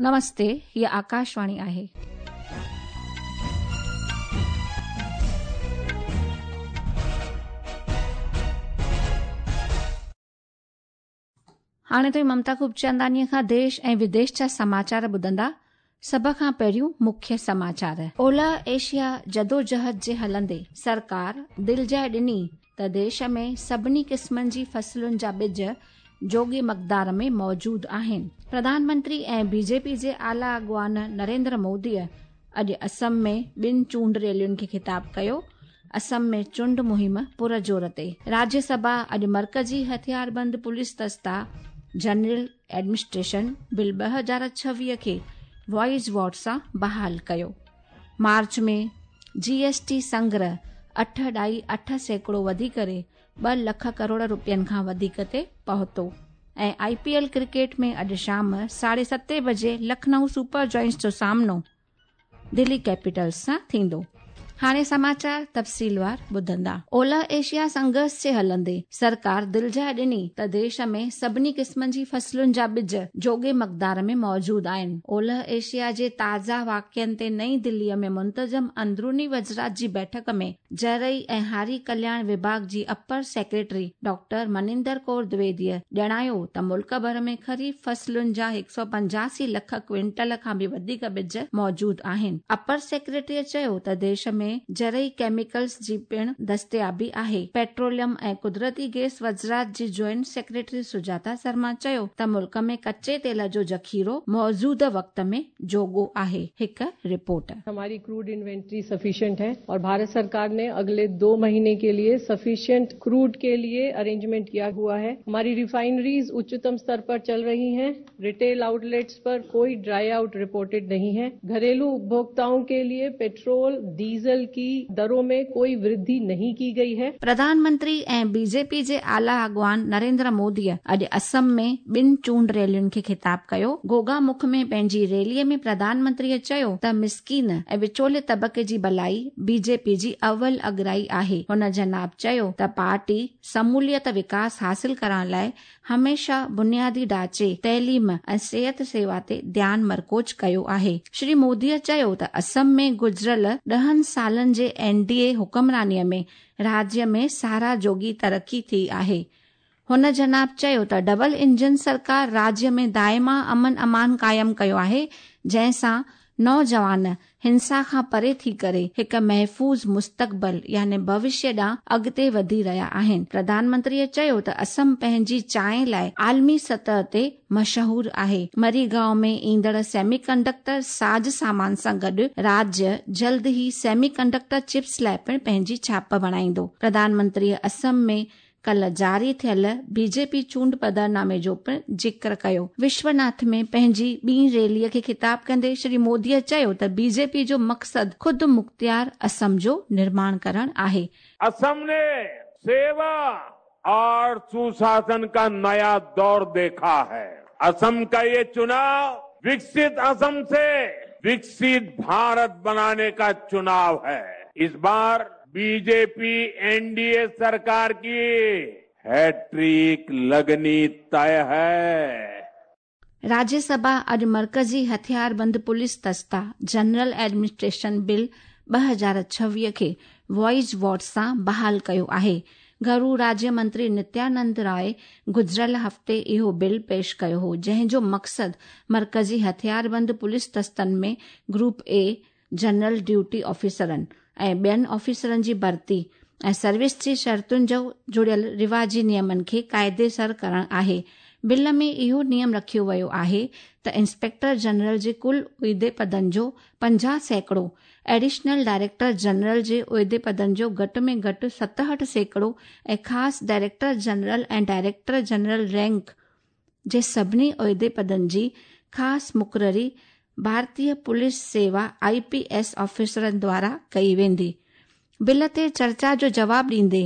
نمستي، هيء آڪاشواڻي آهي. هاڻي توهين ممتا خوبچنداڻيء کان ديش ۽ وديش جا سماچار ٻڌندا. سڀ کان پهريون مکيه سماچار. اولهه ايشيا جدوجهد جي هلندي سرڪار دلجاء ڏني ته ديش ۾ سڀني قسمن جي فصلن جا ٻج جوڳي مقدار ۾ موجود آهن. پرڌان منتري ۽ بي جي پي جي اعليٰ اڳواڻ نريندر موديء اڄ اسم ۾ ٻن چونڊ ريلين کي خطاب ڪيو. اسم ۾ چونڊ مهم پر زور تي. راجيه سڀا اڄ مرڪزي هٿياربند پوليس دستا جنرل ايڊمنسٽريشن بل 2026 کي وائس ووٽ سان بحال ڪيو. مارچ ۾ جي ايس ٽي سنگرهه 8.8% وڌي ڪري 2 لک ڪروڙ روپين کان وڌيڪ تي پهتو ۽ آء پي ايل ڪرڪيٽ ۾ اڄ شام ساڍي ستين بجي لکنؤ سپر جائنٽس جو سامنو دلي ڪيپيٽلز سان ٿيندو. هاڻي سماچار تفصيلوار ٻڌندا. اولهه ايشيا سنگهرش جي هلندي سرڪار دلجاء ڏني ته ديش ۾ سڀني قسمن جي فصلن جا ٻج جوڳي مقدار ۾ موجود آهن. اولهه ايشيا جي تازا واقعن تي نئين دلي ۾ منتظم اندروني وزرات جي بيٺڪ ۾ زرعي ۽ هاري ڪلياڻ وڀاڳ جي upper secretary doctor Maninder Kaur دويديء ڄاڻايو ته ملڪ ڀر ۾ خريف فصلن جا 185 لک ڪوئنٽل کان به وڌيڪ ٻج موجود آهن. اپر سيڪريٽريء چيو ته ديش ۾ زرعي ڪيميڪلز جي پڻ دستيابي آهي. پيٽروليم ۽ قدرتي گئس وزارت جي جوائنٽ سيڪريٽري سجاتا شرما چيو ته ملڪ ۾ ڪچي تيل جو ذخيرو موجوده وقت ۾ جوڳو آهي. هڪ رپورٽ. هماري ڪروڊ انوينٽري سفيشنٽ هي اور ڀارت سرڪار ني اگلي 2 مهيني ڪي ليي سفيشنٽ ڪروڊ ڪي ليي ارينجمينٽ ڪيا هوا هي. هماري ريفائنريز اچتم ستر پر چل رهي هين. ريٽيل آئوٽليٽس پر ڪوئي ڊرائي آئوٽ رپورٽيڊ نهين هي. گهريلو اپڀوڪتائون ڪي ليي پيٽرول، ڊيزل ڪي درون مين ڪوئي ورڌي نهين ڪي گئي هي. پرڌان منتري ۽ بي جي پي جي اعليٰ اڳواڻ نريندر موديء اڄ اسم ۾ ٻن چونڊ ريلين کي خطاب ڪيو. گوگا مک ۾ پنهنجي ريليء ۾ پرڌان منتريء چيو ته مسڪين ۽ وچولي طبقي جي ڀلائي بي جي پي جي اول اڳرائي آهي. هن جناب چيو ته پارٽي شموليت وڪاس حاصل ڪرڻ لاء هميشه بنيادي ڍانچي، تعليم ۽ صحت سيوا تي ڌيان مرڪوز ڪيو آهي. شري موديء چيو ته اسم ۾ گذريل ڏهن سالن جي اين ڊي اي حڪمرانيء ۾ راجيه ۾ ساراهه جوڳي ترقي ٿي آهي. هن جناب چيو ته ڊبل انجن سرڪار راجيه ۾ دائما امن امان قائم ڪيو آهي جنهن سان نوجوان هنسا کان پري ٿي ڪري هڪ محفوظ مستقبل يعني ڀوشيه ڏانهن اڳتي وڌي رهيا آهن. پرڌان منتريء چيو ته اسم پنهنجي چانهه لاء عالمي سطح تي مشهور آهي. مريگائون ۾ ايندڙ سيمي ڪنڊڪٽر ساز سامان سان گڏ راجيه جلد ئي سيمي ڪنڊڪٽر چپس لاء پڻ پنهنجي ڇاپ بڻائيندو. پرڌان منتريء اسم ۾ ڪلهه جاري ٿيل بي جي پي چونڊ پڌرنامي جو پڻ ذڪر ڪيو. وشوناٿ ۾ پنهنجي ٻي ريلي کي خطاب ڪندي شري مودي چيو ته بي جي پي جو مقصد خود مختيار اسم جو نرماڻ ڪرڻ آهي. اسم ني سيوا اور سوشاسن ڪا نيا دور ديکا هي. اسم ڪا يي چناء وڪست اسم سي وڪست ڀارت بناني ڪا چناء هي. اس بار بي جي پي اين ڊي اي سرڪار ڪي هيٽرڪ لگني طئه هي. راجيه سڀا اڄ مرڪزي هٿياربند پوليس دستا جنرل ايڊمنسٽريشن بل 2026 کي وائس ووٽ سان بحال ڪيو آهي. گهرو راجيه منتري نتيانند راء گذريل هفتي اهو بل پيش ڪيو هو جنهن جو مقصد مرڪزي هٿياربند پوليس دستن ۾ گروپ اي جنرل ڊيوٽي آفيسرن ۽ ٻين آفيسرن جي ڀرتي ۽ سروس جي شرطن جو جڙيل رواجي نيمن کي قاعدي سر ڪرڻ آهي. بل ۾ اهو نيم رکيو ويو آهي ته انسپيڪٽر جنرل جي ڪل عهدي پدن جو 50%، ايڊيشنل ڊائريڪٽر جنرل جي عهدي پدن جو گهٽ ۾ گهٽ 67% ۽ خاص director general ۽ director general rank جي سڀني عهدي پدن جي خاص مقرري ڀارتيه پوليس سيوا، آء پي ايس، آفيسرن دوارا ڪئي ويندي. بل تي چرچا جو جواب ڏيندي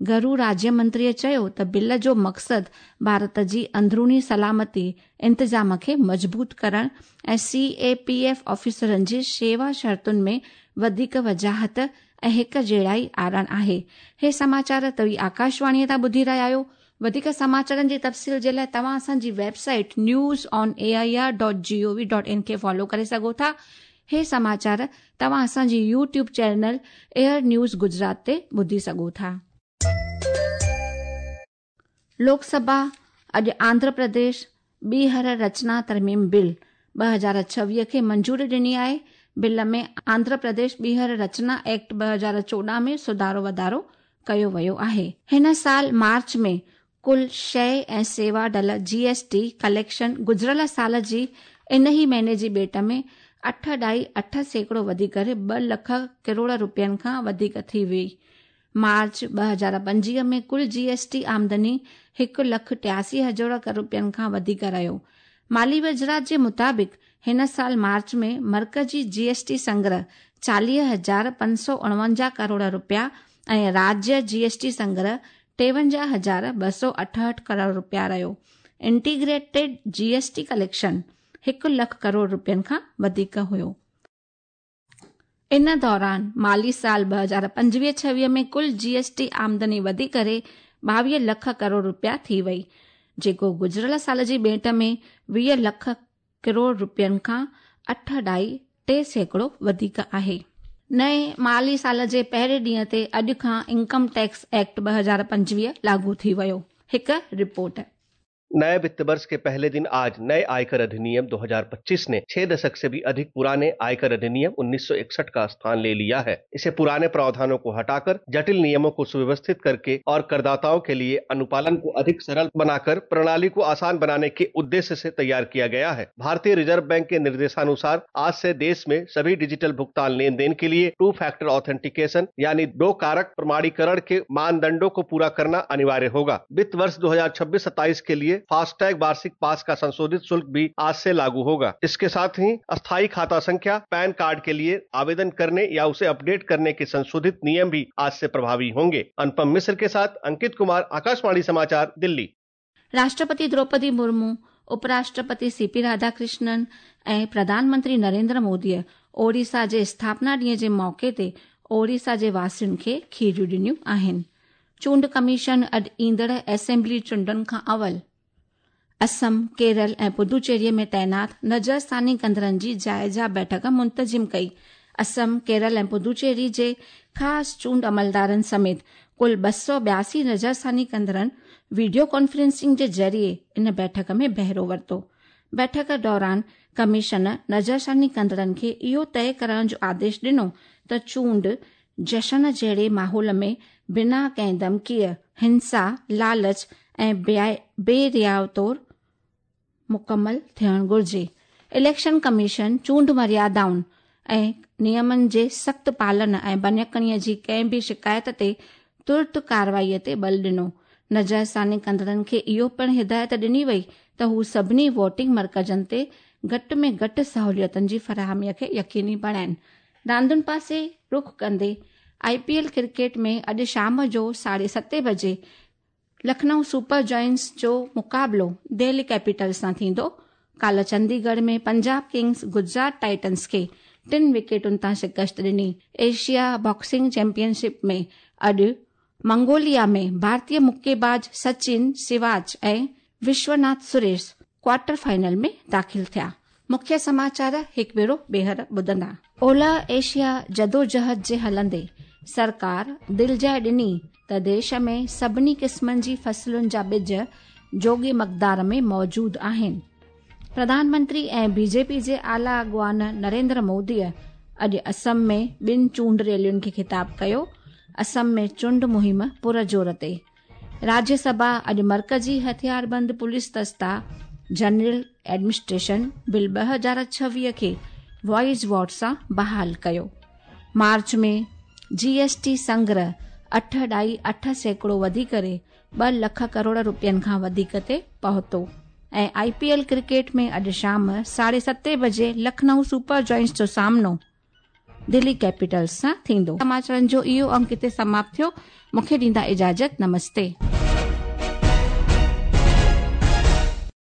گهرو راجيه منتريء چيو ته بل جو مقصد ڀارت جي اندروني سلامتي انتظام کي مضبوط ڪرڻ ۽ سي اي پي ايف آفيسرن جي شيوا شرطن ۾ وڌيڪ وضاحت ۽ هڪ جهڙائي آڻڻ آهي. هي سماچار توهين آڪاشواڻيء تان ٻڌي رهيا آهيو. वधीक समाचारनि जे तफ़सील जे लाइ तव्हां असांजी website newsonair.gov.in खे फॉलो करे सघो था। हे समाचार तव्हां असांजी YouTube channel air news Gujarat ते ॿुधी सघो था। लोकसभा अॼु आंध्र प्रदेश ॿीहर रचना तरमीम बिल 2026 खे मंजूरी ॾिनी आहे। बिल में आंध्र प्रदेश ॿीहर रचना एक्ट 2014 में सुधारो वाधारो कयो वियो आहे। हिन साल मार्च में कुल शइ ऐं सेवा ढल जीएसटी कलेक्शन गुज़िरियल साल जी इन ई महीने जी भेंट में 8.8% वधी करे 2 लख करोड़ रुपयनि खां वधीक थी वई। मार्च 2025 में कुल जीएसटी आमदनी 1,83,000 करोड़ रुपयनि खां वधीक रहियो। माली वज़ारत जे मुताबिक़ हिन साल मार्च में मर्कज़ी जीएसटी संग्रह 40,549 करोड़ रुपया ऐं राज्य जीएसटी संग्रह 53,268 करोड़ रुपया रहियो। इंटीग्रेटेड जीएसटी कलेक्शन 1 लख करोड़ रुपयनि खां वधीक हुयो। इन दौरान माली साल 2025-26 में कुल जीएसटी आमदनी वधी करे 22 लख करोड़ रुपया थी वई, जेको गुज़िरियल साल जी भेंट में 20 लख करोड़ रुपयनि खां 8.3% वधीक आहे। नए माली साल जे पहिरें ॾींहं ते अॼु खां इनकम टैक्स एक्ट 2025 लागू थी वियो। हिकु रिपोर्ट। नए वित्त वर्ष के पहले दिन आज नए आयकर अधिनियम 2025 ने 6 दशक से भी अधिक पुराने आयकर अधिनियम 1961 का स्थान ले लिया है। इसे पुराने प्रावधानों को हटाकर जटिल नियमों को सुव्यवस्थित करके और करदाताओं के लिए अनुपालन को अधिक सरल बनाकर प्रणाली को आसान बनाने के उद्देश्य से तैयार किया गया है। भारतीय रिजर्व बैंक के निर्देशानुसार आज से देश में सभी डिजिटल भुगतान लेन then के लिए 2 फैक्टर ऑथेंटिकेशन यानी 2 कारक प्रमाणीकरण के मानदंडों को पूरा करना अनिवार्य होगा। वित्त वर्ष 2026-27 के लिए फास्टैग वार्षिक पास का संशोधित शुल्क भी आज से लागू होगा। इसके साथ ही अस्थायी खाता संख्या, पैन कार्ड के लिए आवेदन करने या उसे अपडेट करने के संशोधित नियम भी आज से प्रभावी होंगे। अनुपम मिश्र के साथ अंकित कुमार, आकाशवाणी समाचार, दिल्ली। राष्ट्रपति द्रौपदी मुर्मू, उपराष्ट्रपति सीपी राधाकृष्णन ऐं प्रधानमंत्री नरेंद्र मोदीअ ओडिशा जे स्थापना ॾींहं जे मौक़े ते ओडिशा जे वासियुनि खे खीरियूं ॾिनियूं आहिनि। चूंड कमीशन अॼु ईंदड़ असेंबली चूंडनि खां अवल असम, केरल ऐं पुदुचेरीअ में तैनात नज़रसानी कंदड़नि जी जायज़ा बैठक मुंतज़िम कई। असम, केरल ऐं पुदुचेरी जे ख़ासि चूंड अमलदारनि समेत कुल 282 नज़रसानी कंदड़नि वीडियो कॉन्फ्रेंसिंग जे ज़रिए इन बैठक में बहिरो वरितो। बैठक दौरान कमीशन नज़रसानी कंदड़नि खे इहो तय करण जो आदेश ॾिनो त चूंड जशन जहिड़े माहौल में बिना कंहिं धमकीअ, हिंसा, लालच ऐं बेरियाव तौर मुकमल थियणु घुर्जे। इलेक्शन कमीशन चूंड मर्यादाउनि ऐं नियमनि जे सख़्तु पालन ऐं बनियकणीअ जी कंहिं बि शिकायत ते तुर्त कार्रवाईअ ते बल ॾिनो। नज़रसानी कंदड़नि खे इहो पिणु हिदायत ॾिनी वई त हू सभिनी वोटिंग मर्कज़नि ते घटि में घटि सहूलियतुनि जी फराहमीअ खे यकीनी बणाइनि। रांदुनि पासे रुख कंदे आईपीएल क्रिकेट में अॼु शाम जो 7:30 बजे लखनऊ सुपर जॉइंट्स जो मुक़ाबिलो दिल्ली कैपिटल्स सां थींदो। काल्ह चंडीगढ़ में पंजाब किंग्स गुजरात टाइटन्स खे 3 विकेटुनि तां शिकस्त ॾिनी। एशिया बॉक्सिंग चैंपियनशिप में अॼु मंगोलिया में भारतीय मुक्केबाज सचिन सिवाच ऐं विश्वनाथ सुरेश क्वार्टर फाइनल में दाख़िल थिया। मुख्य समाचार हिकु भेरो ॿीहर ॿुधंदा। ओलह एशिया जदोजहद जे हलंदे सरकार दिलजाइ ॾिनी त देश में सभिनी क़िस्मनि जी फसलुनि जा ॿिज जोॻे मक़दार में मौजूद आहिनि। प्रधानमंत्री ऐं बीजेपी जे आला अॻवान नरेंद्र मोदीअ अॼु असम में ॿिनि चूंड रैलियुनि खे ख़िताब कयो। असम में चूंड मुहिम पुरज़ोर ते। राज्यसभा अॼु मर्कज़ी हथियारबंद पुलिस दस्ता जनरल एडमिनिस्ट्रेशन बिल 2026 खे वॉइस वोट सां बहाल कयो। मार्च में जीएसटी संग्रह 8.8% वधी करे 2 लख करोड़ रुपयनि खां वधीक ते पहुतो। ऐं आईपीएल क्रिकेट में अॼु शाम 7:30 बजे लखनऊ सुपर जॉइंट्स जो सामनो दिल्ली कैपिटल्स सां थींदो। समाचारनि जो इहो अंक हिते समाप्त थियो। मूंखे ॾींदा इजाज़त। नमस्ते।